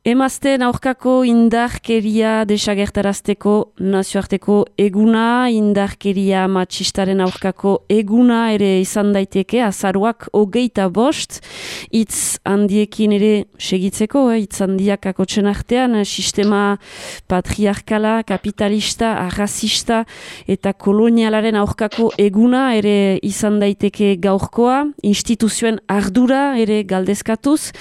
Emazteen aurkako indarkeria desagertarazteko nazioarteko eguna, indarkeria matxistaren aurkako eguna ere izan daiteke, azaroak 25, hitz handiekin ere segitzeko, hitz handiak akotsen artean, sistema patriarkala, kapitalista, arrazista eta kolonialaren aurkako eguna ere izan daiteke gaurkoa, instituzioen ardura ere galdezkatuz,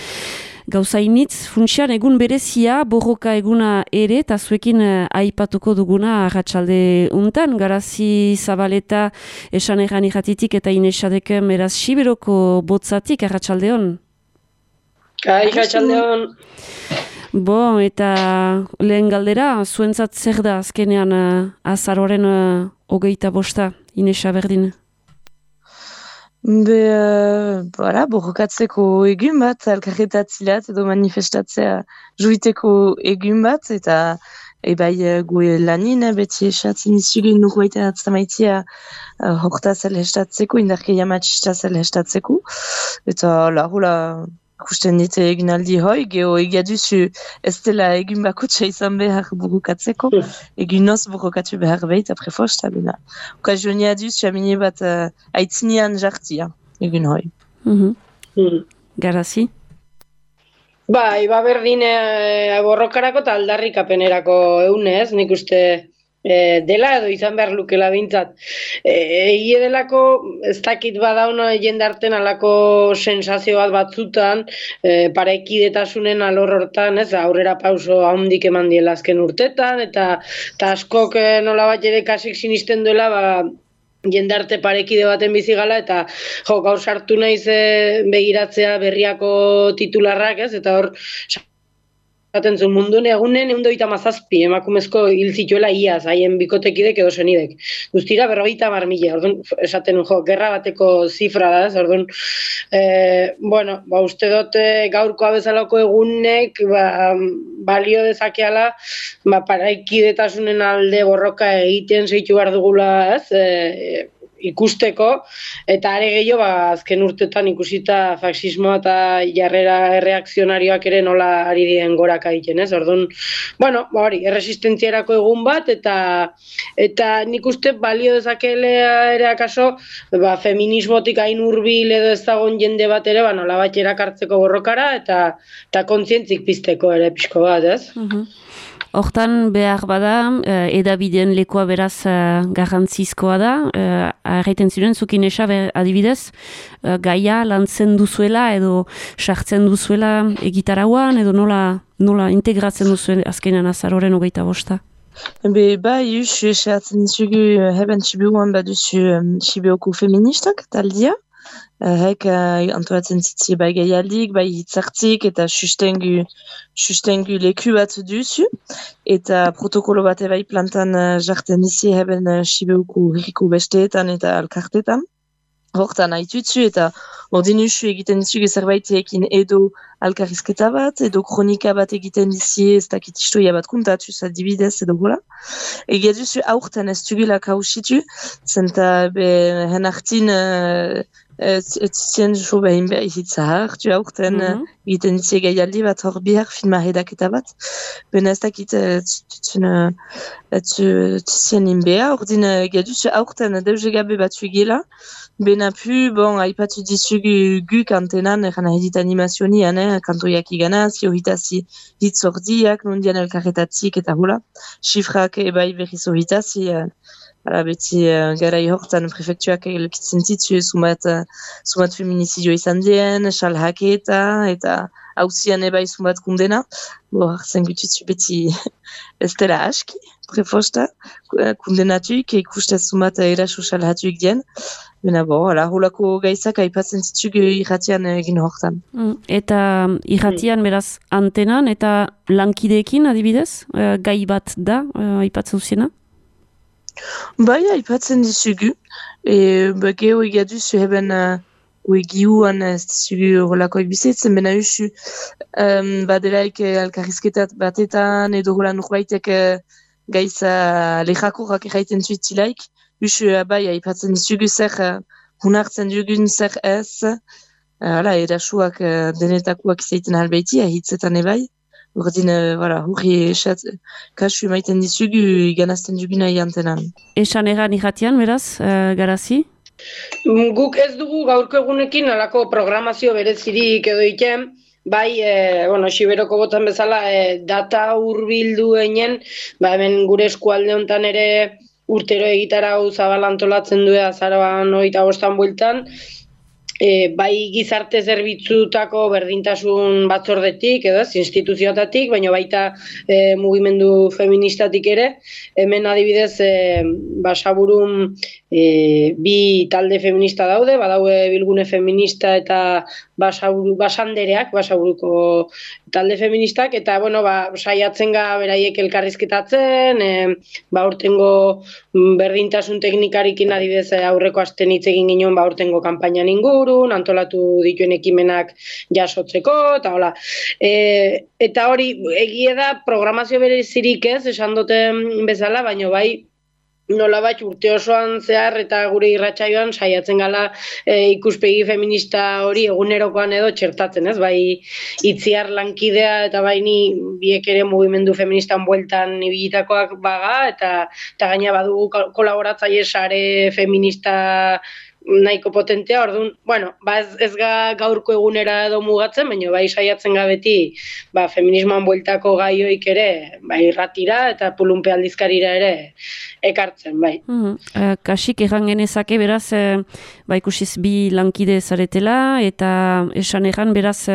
gauzainitz, funtsian egun berezia, borroka eguna ere, eta zuekin aipatuko duguna arratsalde untan, Garazi Zabaleta esan egan irratitik eta inesadeken eraz Siberoko botzatik, arratsaldeon. Arratsaldeon. Eta lehen galdera, zuentzat zer da azkenean azaroren 25, Inesa berdin? Borrokatzeko egun bat, elkarretatzilat edo manifestatzea juiteko egun bat, eta gue lanin beti esatzen izugu nurbaita atzamaitia horta zelhestatzeko, indarkeria matxista zelhestatzeko, eta hula ikusten dit egunaldi hoi, geho egiaduzu ez dela egun bakotxa izan behar borrokatzeko, egun noz borrokatu behar behit aprefosta bena. Okazionia duz, jamine bat aitzinean jartia, egun hoi. Garazi? Berdin borrokarako eta aldarrikapenerako eunez, nik uste dela edo izan behar lukela bintzat. Egie delako, ez dakit badaun jendarten alako sensazio bat batzutan, parekidetasunen alor hortan, aurrera pauso handik eman diela azken urtetan, eta askok nola bat ere kasik sinisten duela, jendarte parekide baten bizigala, eta gaur sartu naiz begiratzea berriako titularrak, eta hor zaten zuen munduen egunen 137 emakumezko hil zituela iaz, haien bikotekidek edo senidek. Guztira 50.000, orduan, esaten gerra bateko zifra da, orduan, uste dut gaurkoa bezalako egunek balio dezakeala paraikidetasunen alde borroka egiten zeitu behar dugula, ikusteko, eta are gehiago azken urtetan ikusita faxismoa eta jarrera erreakzionarioak ere nola ari diren goraka egiten, Orduan, erresistentziarako egun bat, eta nik uste balio dezakelea ere akaso, feminismotik hain hurbil edo ez dagoen jende bat ere, nola bat erakartzeko borrokara, eta kontzientzik pizteko ere pixko bat, Hortan behar bada, edabideen lekoa beraz garrantzizkoa da, arraiten ziren, zukin esa adibidez, gaia lantzen duzuela edo sartzen duzuela egitarauan edo nola integratzen duzuen azkenean azaroren 25. Justu esatzen zugu heben Sibiuan baduzu Sibioko feministak taldia. Hek antolatzen zitzi gaialdik, hitzartzik eta sustengu leku bat duzu. Eta protokolo bat plantan jartzen izi heben Sibioko herriko besteetan eta alkartetan. Hortan haitutzu eta ordin usu egiten dizugu zerbaitekin edo alkarrizketa bat, edo kronika bat egiten dizie, ez dakit istoia bat kuntatuz adibidez edo gola. Egia duzu aurten ez dugula kausitu, zenta hen hartin etzien jo behin behar hitza hartu aurten egiten dizie gaialdi bat hor bihar filma redaketa bat. Ben ez dakit etzien inbea, ordin egia duzu aurten deuze gabe bat gela. Benapu, aipatu dizugu guk antenan, eran edit animazionian, kantoiak iganaz, johitazi hitz ordiak, nondian elkarretatzik eta hula. Xifrak ebai berriz ohitazi, beti garai hortan prefektuak elkitzen zitzu, sumat feminizidio izan dien, salhaketa, eta hauzian ebai sumat kundena. Hartzen gutitzu beti ez dela aski, prefosta, kundenatuik, ikustez sumat eraso salhatuik dien. Holako gaizak aipatzen zitzugu irratian egin hortan. Eta irratian beraz antenan eta lankideekin adibidez, gai bat da aipatzen zuziena? Aipatzen dizugu. Geho egaduzu heben giuan ez dizugu holakoak bizitzen, bena usu badelaik alkarrizketat batetan edo hola nurbaitek gaiza lehakorrak erraiten zuitzilaik. Usu aipatzen dizugu zer hunartzen dugun zer ez, erasuak denetakoak izaiten halbeiti, hitzetan ebai. Urdin, hurri kasu maiten dizugu iganazten duguna iantenan. Esan egan irratian, beraz, Garazi? Guk ez dugu gaurko egunekin alako programazio berezirik edo iten, bai, Xiberoko botan bezala, data hurbildu einen, hemen gure eskualde honetan ere urtero egitarau zabal antolatzen du azaroan 25 bueltan, bai gizarte zerbitzutako berdintasun batzordetik, edo instituzioetatik, baina baita mugimendu feministatik ere, hemen adibidez Basaburun bi talde feminista daude, badaude Bilgune Feminista eta Basandereak, Basaburuko talde feministak, eta saiatzen ga beraiek elkarrizketatzen, urtengo berdintasun teknikarikin adibidez aurreko asten hitz egin ginen urtengo kanpainan ingurun, antolatu dituen ekimenak jasotzeko, eta hola. Eta hori, egie da programazio berezirik ez, esan duten bezala, baina bai, nolabait urte osoan zehar eta gure irratsaioan saiatzen gala ikuspegi feminista hori egunerokoan edo txertatzen, ez? Bai Itziar lankidea eta bai ni biek ere mugimendu feministan bueltan ibilitakoak baga eta gaina badugu kolaboratzaile sare feminista nahiko potentea, orduan, ez gaurko egunera edo mugatzen, baina bai saiatzen beti feminismoan bueltako gaioik ere, irratira eta pulunpe aldizkarira ere ekartzen, bai. Kasik egan genezake, beraz, ikusiz bi lankide zaretela, eta esan egan, beraz,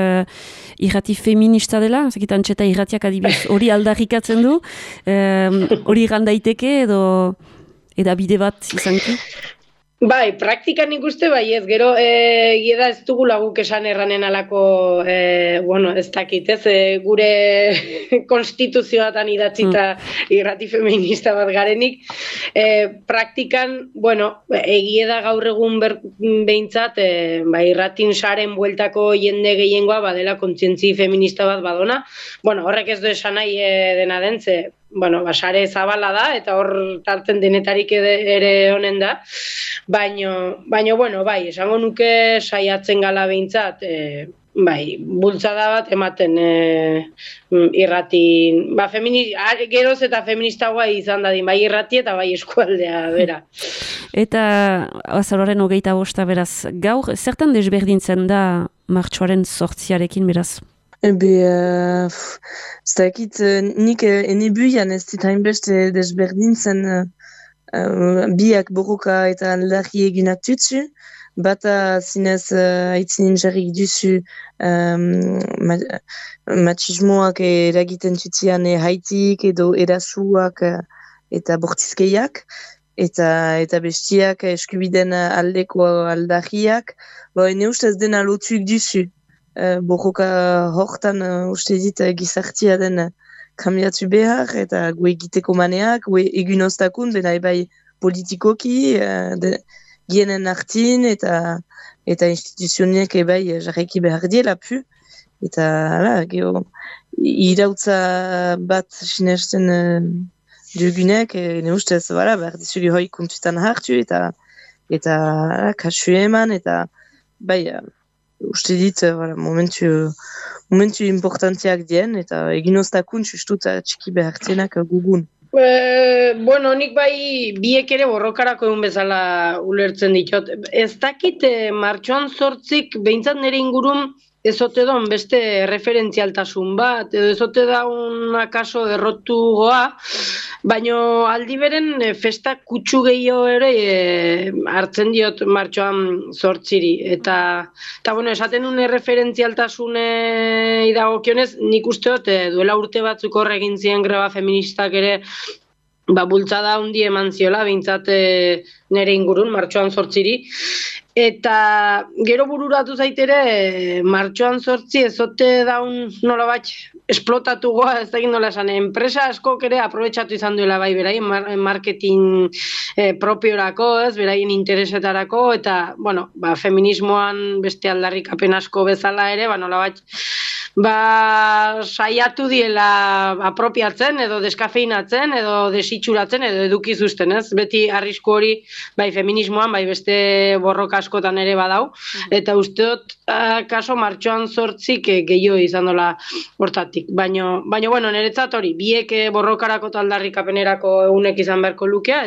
irrati feminista dela, zakitan txeta irratiak adibidez hori aldarrikatzen du, hori gandaiteke edo edabide bat izanki? Bai, praktikan ikuste bai ez, gero egieda ez dugu laguk esan erranen alako, ez dakit ez, gure konstituzioatan idatzita irrati feminista bat garenik. Praktikan, egieda gaur egun behintzat, irratin saren bueltako jende gehiengoa badela kontzientzi feminista bat badona. Horrek ez du esan nahi dena den, sare zabala da, eta hor tartzen denetarik ere honen da, baina, esango nuke saiatzen gala behintzat, bultzada bat ematen irratin, geroz eta feministagoa izan dadin, bai irrati eta bai eskualdea, bera. Eta azaroaren 25 beraz, gaur, zertan desberdintzen da martxoaren 8arekin beraz? Zdakit, nik enebuian ez dit hainbeste desberdintzen biak borroka eta aldarri eginak tutsu, bata zinez haitzinin jarrik duzu machismoak eragiten tutzian haitik edo erasuak eta bortizkeiak, eta bestiak eskubiden aldeko aldarriak, ene ustez dena lotuik duzu. Borroka hortan uste dit gizartia den kambiatu behar eta gue egiteko maneak, gue egun ostakun, bena ebai politikoki, gienen artin eta instituzioniek ebai jarraiki behar diela pu. Eta irautza bat sinesten dugunek, ne ustez, behar dizugi hoi kontutan hartu eta kasu eman, eta uste dit, momentu importantiak dien, eta egin ostakun sustut txiki behartzenak gugun. Nik biek ere borrokarako egun bezala ulertzen ditot. Ez dakit martxoan 8 behintzat nire ingurun ezote daun beste referentzialtasun bat, edo ezote daun akaso errotu goa, baina aldi beren festa kutsu gehiago ere hartzen martxoan 8-ri. Eta esaten nuen referentzialtasune idagokionez, nik usteot duela urte batzuk horregin ziren greba feministak ere bultzada hundi eman ziola, behintzat nire ingurun, martxoan 8-ri. Eta gero bururatu zaitere, martxoan 8 ezote daun nolabait esplotatu goa, ez da egin nola esan, enpresa askok ere aprobetxatu izan duela beraien marketing propiorako, beraien interesetarako, eta, feminismoan beste aldarrikapen asko bezala ere, nolabait saiatu diela apropiatzen edo deskafeinatzen edo desitxuratzen edo edukizuzten, ez? Beti arrisku hori bai feminismoan, bai beste borroka askotan ere badau, eta usteot kaso martxoan 8 gehiago izan dola hortatik. Baina bueno, niretzat hori, biek borrokarako eta aldarrikapenerako egunek izan beharko lukea,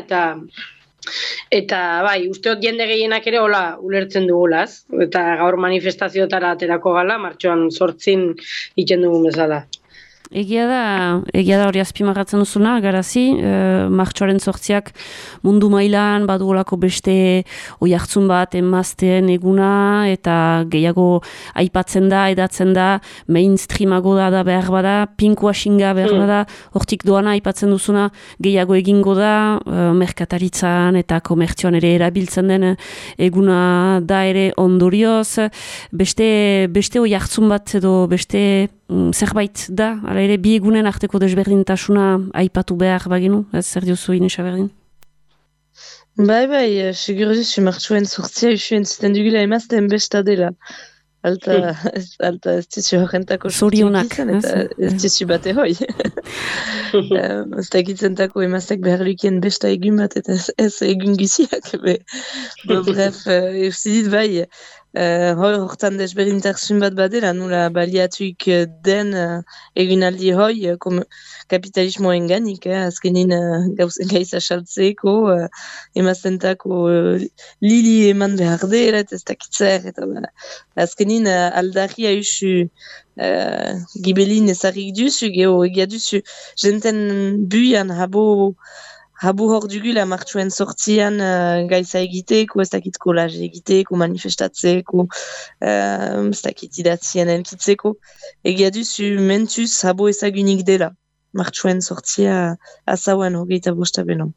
eta bai, usteot jende gehienak ere hola ulertzen dugulaz, eta gaur manifestazioetara aterako gala, martxoan 8 iten dugun bezala. Egia da hori azpimarratzen duzuna, garazi, martxoaren 8 mundu mailan badugolako beste oihartzun bat emazteen eguna, eta gehiago aipatzen da, edatzen da, mainstreamago da behar bada, pinkoa xinga behar bada, hortik doana aipatzen duzuna, gehiago egingo da, merkataritzan eta komertzioan ere erabiltzen den eguna da ere ondorioz, beste oihartzun bat edo beste zerbait da, ala ere bi egunen arteko desberdintasuna aipatu behar bagenu, ez zer diozu Inesa berdin? Bai, seguruz, martxoen 8 usuen zuten dugula emazten besta dela. Alta ez dizu horrentako zorionak, eta ez dizu bate hoi. Ez dakitzentako emaztek behar lukien besta egun bat eta ez egun giziak. Bref, eusidit bai, hortan desberdintasun bat badela, nula baliatuik den egunaldi hoi, kapitalismoen ganik, azkenin gaiza saltzeko, emaztentako lili eman behar dela, ez dakitzer, eta azkenin aldarria usu gibelin ezarrik duzu, egia duzu, jenten buian Habu hor dugula martxoen 8 gaiza egiteko, ez dakit kolaz egiteko, manifestatzeko, ez dakit idatzien elkitzeko. Egia duzu mentuz habu ezagunik dela. Martxoen 8 azauen 25 beno.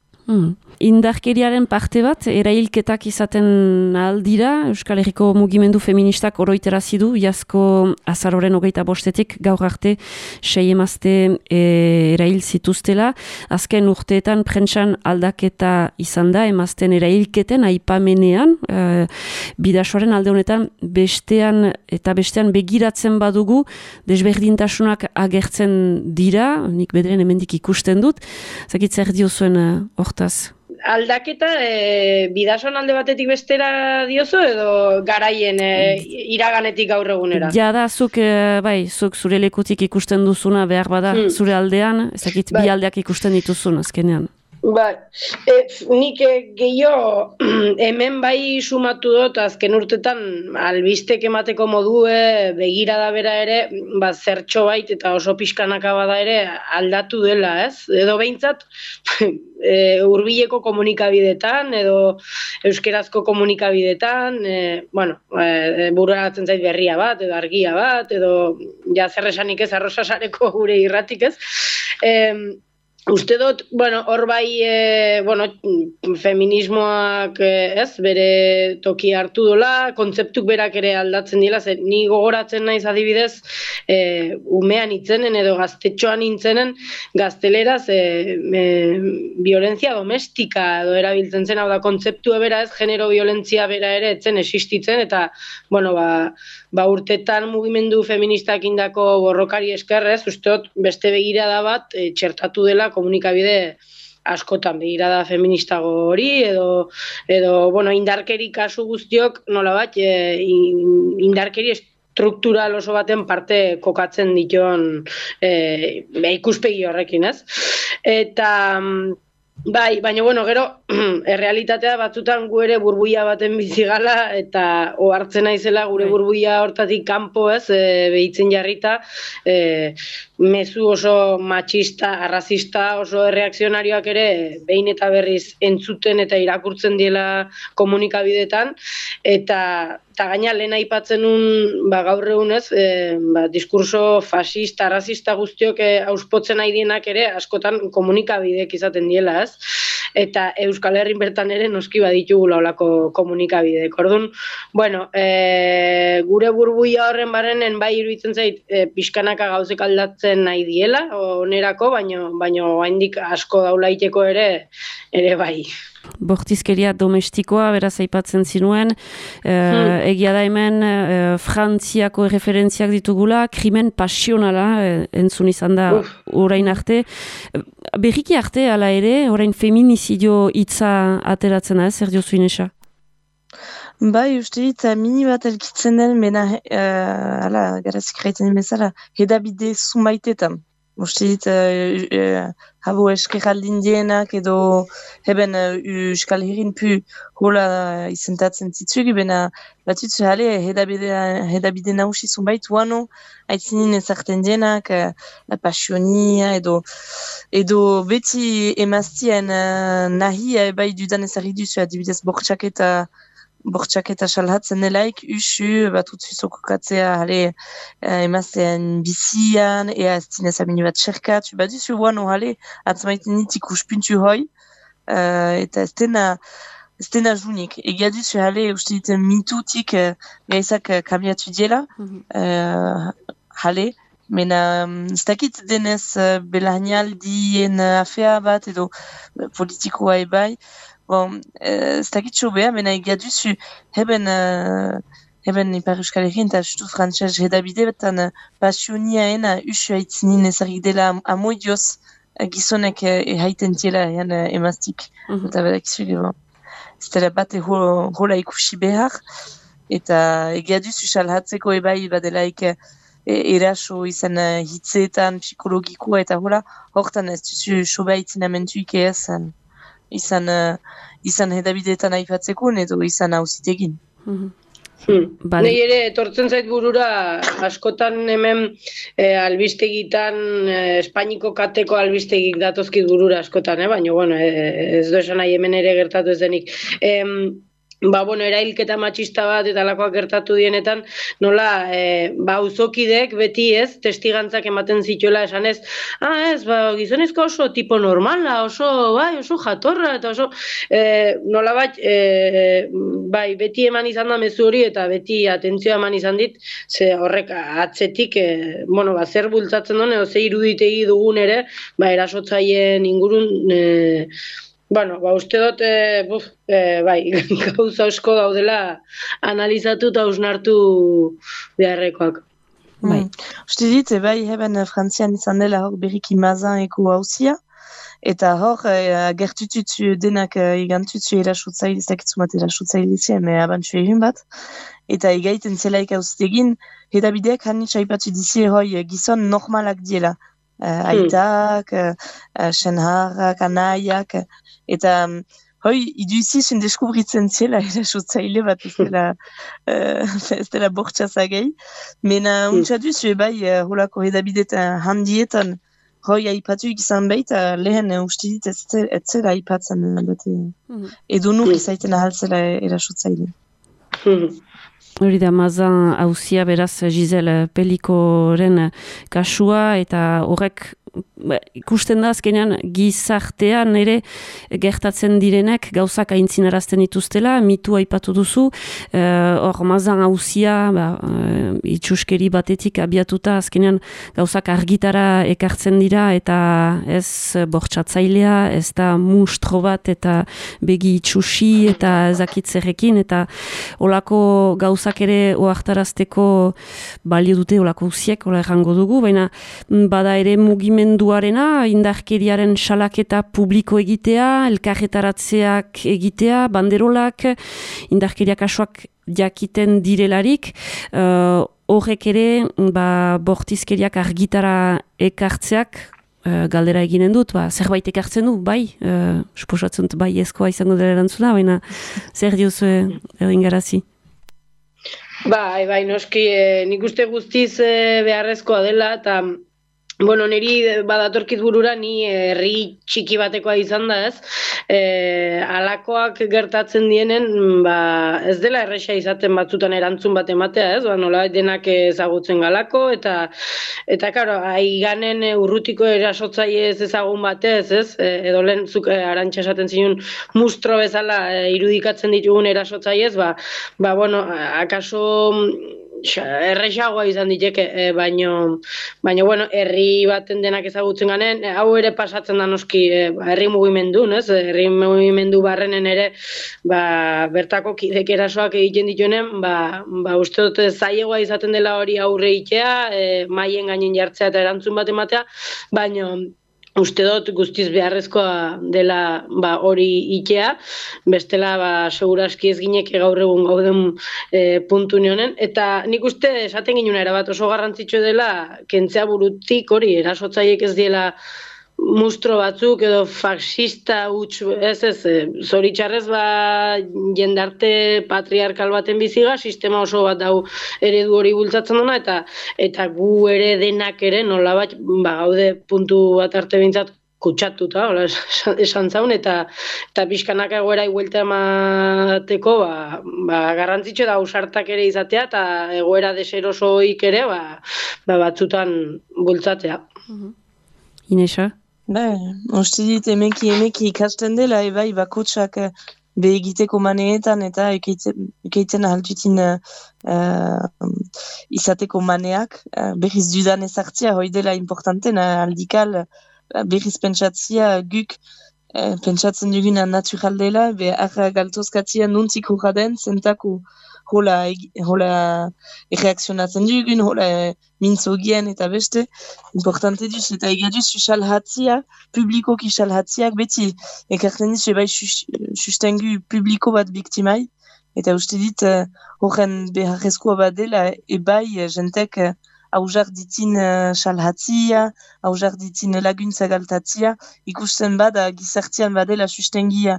Indarkeriaren parte bat, erailketak izaten aldira, Euskal Herriko mugimendu feministak oroiterazi du, iazko azaroren 25 gaur arte 6 emazte erail zituztela. Azken urteetan prentsan aldaketa izan da, emazten erailketen aipamenean, bidasoaren alde honetan bestean begiratzen badugu, desberdintasunak agertzen dira, nik bederen hemendik ikusten dut, zakit zer diozuen hortaz? Aldaketa bidasoan alde batetik bestera diozu edo garaien iraganetik gaur egunera? Jada, zuk zure lekutik ikusten duzuna behar bada zure aldean, ezakit bi aldeak ikusten dituzun azkenean. Nik gehiago hemen bai sumatu dut azken urtetan albistek emateko modue begirada bera ere zertxo bait eta oso pixkanaka bada ere aldatu dela, ez? Edo behintzat hurbileko komunikabidetan edo euskerazko komunikabidetan bururatzen zait berria bat edo argia bat edo zer esanik ez arrosasareko gure irratik, ez? Uste dut, hor bai, feminismoak bere toki hartu dola, kontzeptuk berak ere aldatzen dira, ni gogoratzen naiz adibidez, umean itzenen edo gaztetxoan intzenen gazteleraz violentzia domestika edo erabiltzen zen, hau da, kontzeptu bera ez, genero violentzia bera ere etzen existitzen, eta, urtetan mugimendu feministak indako borrokari eskerrez, usteot beste begirada bat txertatu dela komunikabide askotan, begirada feministago hori, edo indarkeri kasu guztiok nolabat indarkeri struktural oso baten parte kokatzen dituen ikuspegi horrekin, ez? Eta bai, baina gero, errealitatea batzutan gu ere burbuia baten bizigala eta ohartzen naizela gure burbuia hortatik kanpo, ez, behitzen jarrita, mezu oso matxista, arrazista, oso erreakzionarioak ere behin eta berriz entzuten eta irakurtzen diela komunikabidetan, eta gaina lehen aipatzen gaur egunez, diskurso fascista, arrazista guztiok auspotzen nahi dienak ere askotan komunikabidek izaten diela, ez? Eta Euskal Herrin bertan ere noski baditugula olako komunikabidek. Orduan, gure burbuia horren barrenen bai iruditzen zait pixkanaka gauzek aldatzen nahi diela onerako, baino oraindik asko daulaiteko ere bai. Bortizkeria domestikoa, beraz aipatzen zinuen, egia da hemen Frantziako referentziak ditugula, krimen pasionala entzun izan da orain arte. Berriki arte, ala ere, orain feminizidio hitza ateratzen da, zer diozu Inesa? Bai, uste dit, mini bat elkitzen den, mena, garazik raiten bezala, hedabide zumaitetan. Uste dit, habo eskeraldin dienak edo heben Euskal Herrin pu hola izentatzen zitzuegi, bena batutzu jale hedabide nausi zunbait uano aitzinin ezarten dienak, la pasionia edo beti emaztien nahi bai dudan ezarri duzu, adibidez bortxaketa salhatzen nelaik, usu bat utzuzoko katzea emazten bizian, ea ez zinez amini bat xerkat, bat duzu guano atzmaiten nitik uspuntu hoi, eta ez dena junik. Egia duzu uste diten mintutik gaizak kambiatu diela, mena ez dakit denez belahnialdien afea bat edo politikoa ebai, bon, ez dakit sobea, mena egia duzu heben Ipar Euskal Herrin eta justu frantxez hedabide betan pasioniaena usu haitzinin ezagik dela amoidioz gizonek haiten tiela emaztik. Eta bedak izuge, ez dela bate hola ikusi behar, eta egia duzu salhatzeko ebai badelaik eraso izan hitzeetan, psikologikoa eta hola, hortan ez duzu soba haitzin amentuik izan hedabideetan aipatzeko, edo izan hauzitegin. Nei ere, etortzen zait burura, askotan hemen albistegitan, Espainiko kateko albistegik datozkit burura askotan, baina, bueno, ez do esan nahi hemen ere gertatu ez denik. Erailketa matxista bat eta lakoak gertatu dienetan, nola, auzokidek beti ez, testigantzak ematen zituela esan ez, gizonezko oso tipo normala, oso jatorra, eta oso, nola beti eman izan da mezu hori, eta beti atentzioa eman izan dit, ze horrek atzetik, zer bultzatzen duen, edo ze iruditegi dugun ere, erasotzaien ingurun, uste dut, gauza asko daudela analizatu eta hausnartu beharrekoak. Uste dit, heben Frantzian izan dela hor berriki Mazaneko hauzia, eta hor gertututzu denak igantutzu erasotzaile, ez dakitzu bat erasotzaile izan, abantzu egin bat, eta igaiten zelaik hauztegin, hedabideak hanitza aipatu dizi hoi gizon normalak diela. Aitak, senharrak, anaiak, eta iduizizun deskubritzen zela erasotzaile bat ez dela bortxazagei, mena untsa duzu holako hedabideetan handietan aipatuik izan baita lehen uste dit ez zela aipatzen edo nuk izaiten ahaltzela erasotzaile. Hori da, Mazan hauzia beraz Giselle Pelikoren kasua, eta horrek ikusten da azkenean gizartean ere gertatzen direnek gauzak aintzinarazten dituztela, mitu aipatu duzu, hor Mazan hauzia itxuskeri batetik abiatuta azkenean gauzak argitara ekartzen dira, eta ez bortxatzailea, ez da munstro bat, eta begi itxusi, eta ezakitzerrekin, eta olako gauzak ere oartarazteko balio dute olako usiek, ola errango dugu, baina bada ere mugimenduarena, indarkeriaren salaketa publiko egitea, elkarretaratzeak egitea, banderolak, indarkeria kasuak jakiten direlarik, horrek ere bortizkeriak argitara ekartzeak, galdera eginen dut, zerbait ekartzen du, suposatzen dut ezkoa izango dela erantzuna, baina zer diozu egin noski, nik uste guztiz beharrezkoa dela, eta niri badatorkit burura, ni herri txiki batekoa izan da ez, alakoak gertatzen dienen, ez dela erresa izaten batzutan erantzun bat ematea ez, nola denak ezagutzen galako, eta karo, aiganen urrutiko erasotzaile ez ezagun batez ez, edo lehen zuk Arantxa esaten zinun mustro bezala irudikatzen ditugun erasotzaile ez, akaso erresagoa izan diteke, baino bueno, herri baten denak ezagutzen ganen, hau ere pasatzen da noski herri mugimendun, ez? Herri mugimendu barrenen ere, bertako kidek erasoak egiten dituenen, uste dut zailegoa izaten dela hori aurre itea, maien gainen jartzea eta erantzun bat ematea, baino uste dut guztiz beharrezkoa dela hori itea, bestela seguraski ez gineke gaur egun gauden puntu honen, eta nik uste esaten ginuna erabat oso garrantzitsu dela kentzea burutik hori erasotzaiek ez diela mustro batzuk edo faxista huts, zoritxarrez jendarte patriarkal baten biziga, sistema oso bat dau eredu hori bultzatzen duna, eta gu ere denak ere nolabait gaude puntu bat arte bintzat kutsatuta, esan zaun, eta pixkanak egoera iguelta emateko, garrantzitsu da ausartak ere izatea, eta egoera deserosoik ere, batzutan bultzatzea. Inesa? Uste dit emeki ikasten dela, bakotsak egiteko maneetan eta ekeiten ahaltutin izateko maneak, berriz dudan ezartzia, hoi dela importanten, aldikal berriz pentsatzia guk pentsatzen duguna natural dela, arra galtozkatzia nuntzik horra den, zentako hola erreakzionatzen dugun, hola mintzogien eta beste, importante duz, eta egaduz salhatzia, publikoki salhatziak, beti ekartzen dizu sustengu publiko bat biktimai, eta uste dit horren beharrezkoa bat dela, jentek hauzak ditin salhatzia, hauzak ditin laguntza galtatzia, ikusten bada gizartian badela sustengia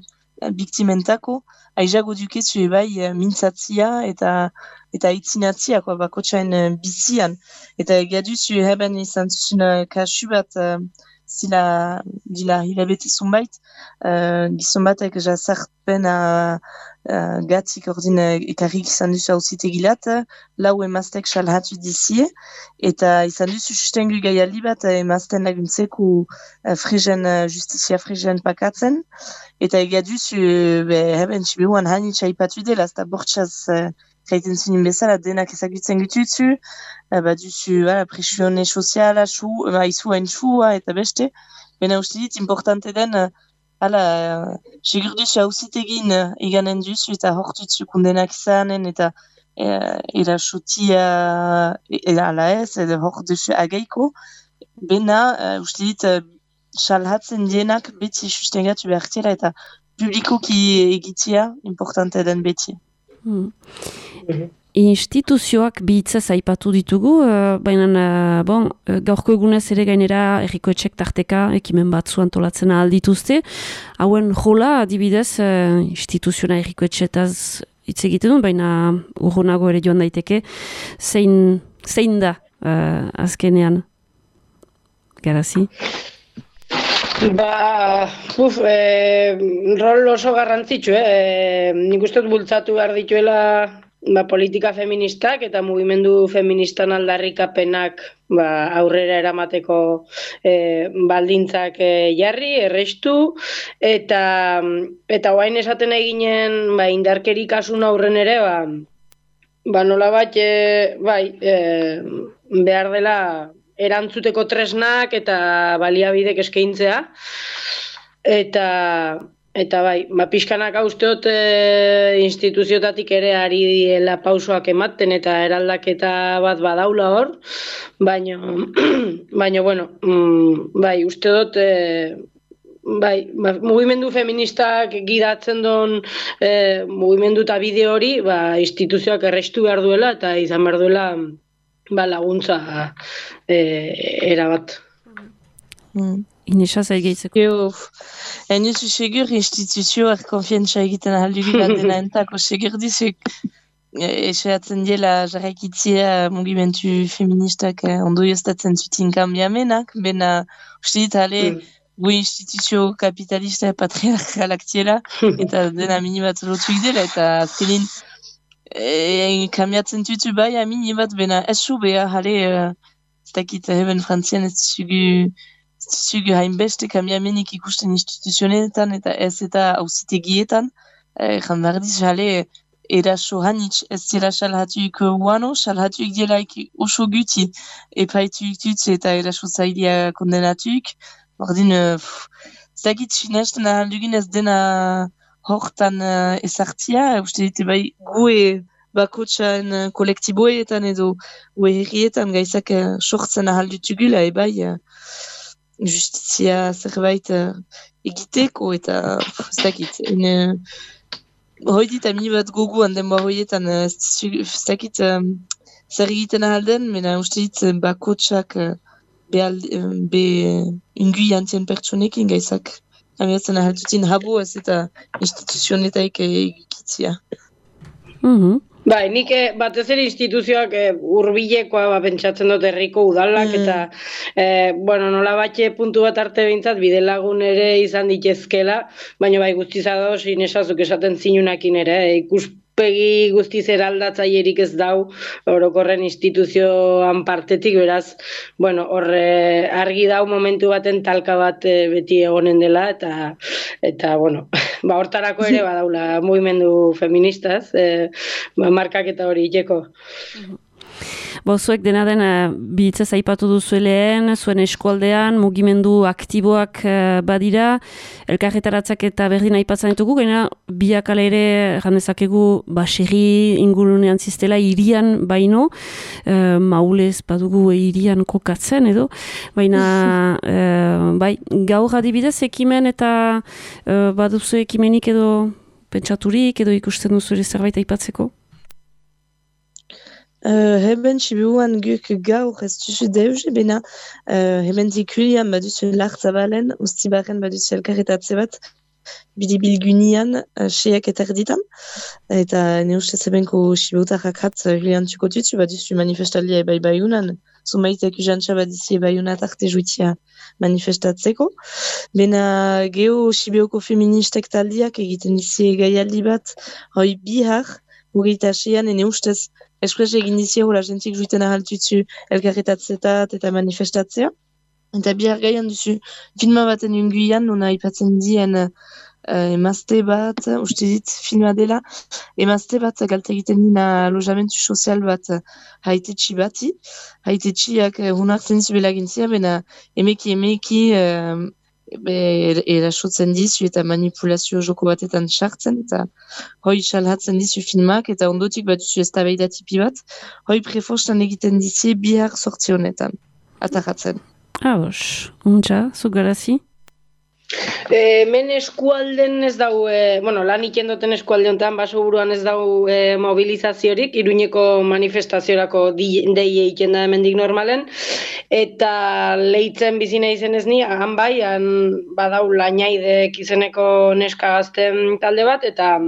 biktimentako, aizago dukezu mintzatzia eta itzinatzia bakotxain bizian. Eta egaduzu heben izan zuzun kasu bat zila hilabete zunbait, gizon batek jazarpen gatzik ordin ekarrik izan duzu hauzitegilat, lau emaztek salhatu dizie, eta izan duzu sustengu gaialdi bat emazten laguntzeko justizia frigen pakatzen, eta egaduzu heben txiberuan hanitza ipatu dela, eta bortxaz gaiten zunin bezala denak ezagutzen gututzu, baduzu presione soziala, izuen txua eta beste, bena uste dit importante den segurduzu hauzitegin iganen duzu eta hortutzu kundenak izanen eta erasotia ala ez, edo hortuzu agaiko, bena uste dit salhatzen dienak beti sustengatu behartela eta publikoki egitzia importante den beti. Instituzioak bihitzaz aipatu ditugu, baina gaurko egunez ere gainera errikoetxek tarteka ekimen batzu antolatzen aldituzte. Hauen jola, adibidez, instituziona errikoetxetaz hitz egiten du, baina urrunago ere joan daiteke, zein da azkenean? Garazi? Rol oso garrantzitsu, nik uste dut bultzatu behar dituela politika feministak eta mugimendu feministan aldarrikapenak aurrera eramateko baldintzak jarri, errestu, eta oain esaten eginen indarkeri kasun aurren ere, nolabait behar dela erantzuteko tresnak eta baliabidek eskaintzea, eta pixkanak usteot instituziotatik ere ari diela pausoak ematen eta eraldaketa bat badaula hor, baina bueno, usteot mugimendu feministak gidatzen duen mugimendu eta bide hori instituzioak errestu behar duela eta izan behar duela laguntza erabat. Inesa zaigeitzeko. Enuzu segur instituzioak konfientza egiten ahaldugu bat dena entako. Segur dizuk esatzen diela jarraikitzea mugimendu feministak ondorioztatzen zuten kanbiamenak, bena uste dit gu instituzio kapitalista patriarkalak tiela, eta dena minibat lotuik dela, eta azkenin kambiatzen tutu amini bat bena esu beha, ez dakit heben frantzian ez zugu hainbeste kambiamenik ikusten instituzionetan eta ez eta auzitegietan, jan behar diz, eraso hanitz, ez zela salhatuik uano, salhatuik dielaik oso guti, epaituik dut eta eraso zailia kondenatuik. Ordin, zagit finesten ahaldugin ez dena hortan ezartzia, uste dite bai gue bakotxan kolektiboetan edo gue herrietan gaizak sortzen ahaldutugula, bai justizia zerbait egiteko eta zagit, hoi dit ami bat goguan denboa hoietan zakit zer egiten ahalden, mena uste dit bakotxak be ingui antzien pertsonekin gaizak amiatzen ahaldutin habo ez eta instituzionetaik egitzia. Bai, nik batez ere instituzioak hurbilekoa pentsatzen dut herriko udalak eta nola batxe puntu bat arte behintzat bidelagun ere izan ditezkela, baina bai guztiz ados inesazuk esaten zinunakin ere, ikuspegi guztiz eraldatzailerik ez dau orokorren instituzioan partetik, beraz, argi dau momentu baten talka bat beti egonen dela eta hortarako ere badaula mugimendu feministaz, markaketa hori iteko. Zuek dena den bihitzez aipatu duzu lehen, zuen eskualdean mugimendu aktiboak badira, elkarretaratzak eta berdin aipatzen ditugu, gaina biak ala ere jandezakegu baserri ingurunean ziztela irian baino, maulez badugu irian kokatzen edo, baina gaur adibidez ekimen eta baduzu ekimenik edo pentsaturik edo ikusten duzu ere zerbait aipatzeko? Heben txibuan guk gaur ez duzu deus, bena heben zikulian baduzu lartzabalen, ustibaren baduzu elkarretatze bat, bidibilgunian, seak eta erditan, eta ne ustez ebenko xibutarrak hat julian txuko tutu, baduzu manifestalia ebai baiunan, zumaitek ujantxa badizi baiunat arte juitia manifestatzeko. Bena geho xibioko feministek taldiak egiten dizi gaialdi bat, hoi bihar, hogeita asean, ene ustez eskres egin dizi hola jentik juiten ahaltutzu elkarretatzetat eta manifestatzea. Eta bihar gaian duzu filma baten unguian, nona ipatzen dien emazte bat, uste dit filma dela, emazte bat galte egiten dina alojamentu sozial bat haitetxi bati. Haitetxiak hunartzen dizu belagintzia, bena emeki erasotzen dizu eta manipulazio joko batetan sartzen, eta hoi salhatzen dizu filmak, eta ondotik bat duzu eztabaida tipi bat, hoi prefostan egiten dizi bihar sortzi honetan, ataratzen. Untxa, zugarazi? Men eskualden ez dau, lan ikendoten eskualde honetan, baso buruan ez dau mobilizaziorik, Iruñeko manifestaziorako dei egiten da hemendik normalen, eta leitzen bizina izen ez ni, han bai, han badau Lainaidek izeneko neska gazten talde bat, eta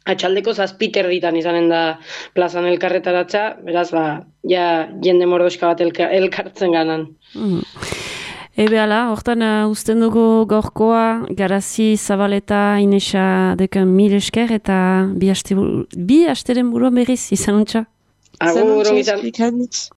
atxaldeko 7 erditan izanen da plazan elkarretaratza, beraz, jende mordoska bat elkartzen ganan. Ebeala, hortan uzten dugu gaurkoa, Garazi, Zabaleta, Inesa deken 1000 esker eta bi asteren buruan berriz, izan untxa. Agur, izan.